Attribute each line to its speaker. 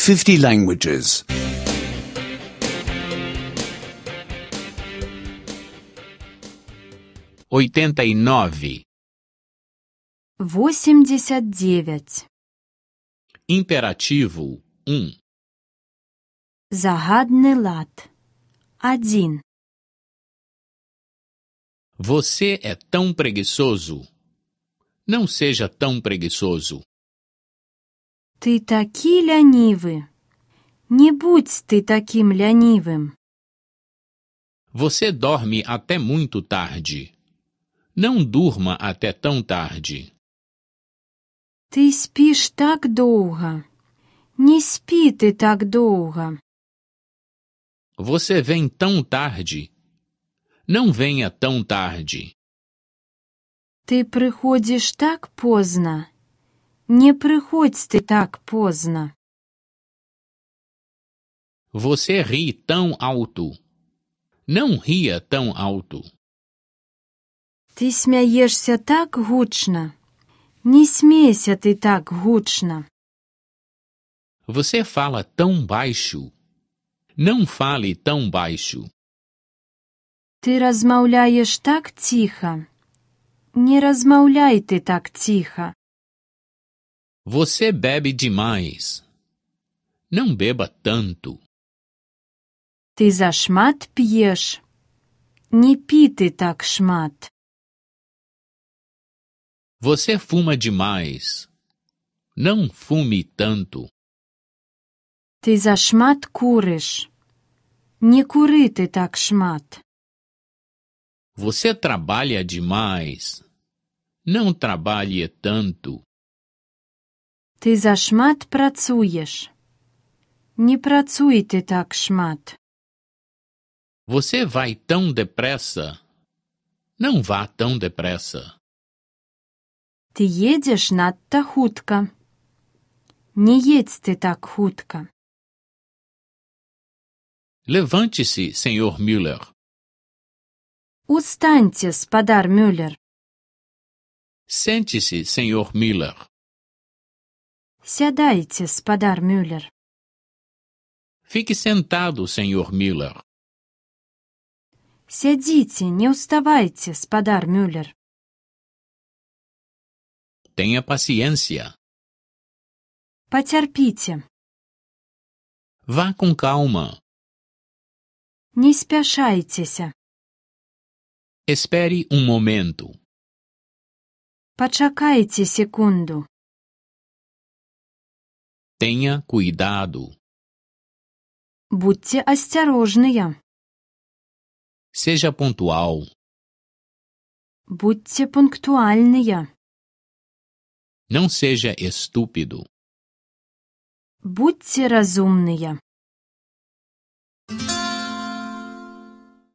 Speaker 1: 50 languages.
Speaker 2: 89.
Speaker 3: 89.
Speaker 2: Imperativo 1.
Speaker 3: Загадний лад. 1.
Speaker 2: Você é tão preguiçoso. Não seja tão preguiçoso.
Speaker 3: Ти такий лянівий. Не будь ти таким лянівим.
Speaker 2: Você dorme até muito tarde. Não durma até tão tarde.
Speaker 3: Ти спиш так довго. Не спи ти так довго.
Speaker 2: Você vem tão tarde. Não venha tão tarde.
Speaker 3: Ти приходиш так поздно. Не приходь ти так поздно.
Speaker 2: Você ri tão alto. Não ria tão alto.
Speaker 3: Ти смієшся так гучно. Не смійся ти так гучно.
Speaker 2: Você fala tão baixo. Não fale tão baixo.
Speaker 3: Ти розмовляєш так тихо. Не розмовляй ти так тихо.
Speaker 2: Você bebe demais. Não beba tanto.
Speaker 3: Ти зашмат п'єш. Не пі ти так шмат.
Speaker 2: Você fuma demais. Não fume tanto.
Speaker 3: Ти зашмат куриш. Не кури ти так шмат.
Speaker 2: Você trabalha demais. Não trabalhe tanto.
Speaker 3: Ти зашмат працюєш. Не працюй ти так шмат.
Speaker 2: Você vai tão depressa. Não vá tão depressa.
Speaker 3: Ти їдеш надто хутко. Не їдь ти так хутко.
Speaker 2: Levante-se, Sr. Müller.
Speaker 3: Устаньте, спадар Мюллер.
Speaker 2: Sente-se, Sr. Müller.
Speaker 3: Сядайте, спадар Мюллер.
Speaker 2: Fique sentado, Sr. Müller.
Speaker 3: Сядите, не уставайте, спадар Мюллер.
Speaker 2: Tenha paciência.
Speaker 3: Потерпите.
Speaker 2: Vá com calma.
Speaker 3: Не спешайтеся.
Speaker 2: Espere um momento.
Speaker 3: Почекайте секунду.
Speaker 2: Tenha cuidado.
Speaker 3: Будьте осторожнее.
Speaker 2: Seja pontual.
Speaker 3: Будьте пунктуальные.
Speaker 2: Não seja estúpido.
Speaker 3: Будьте разумные.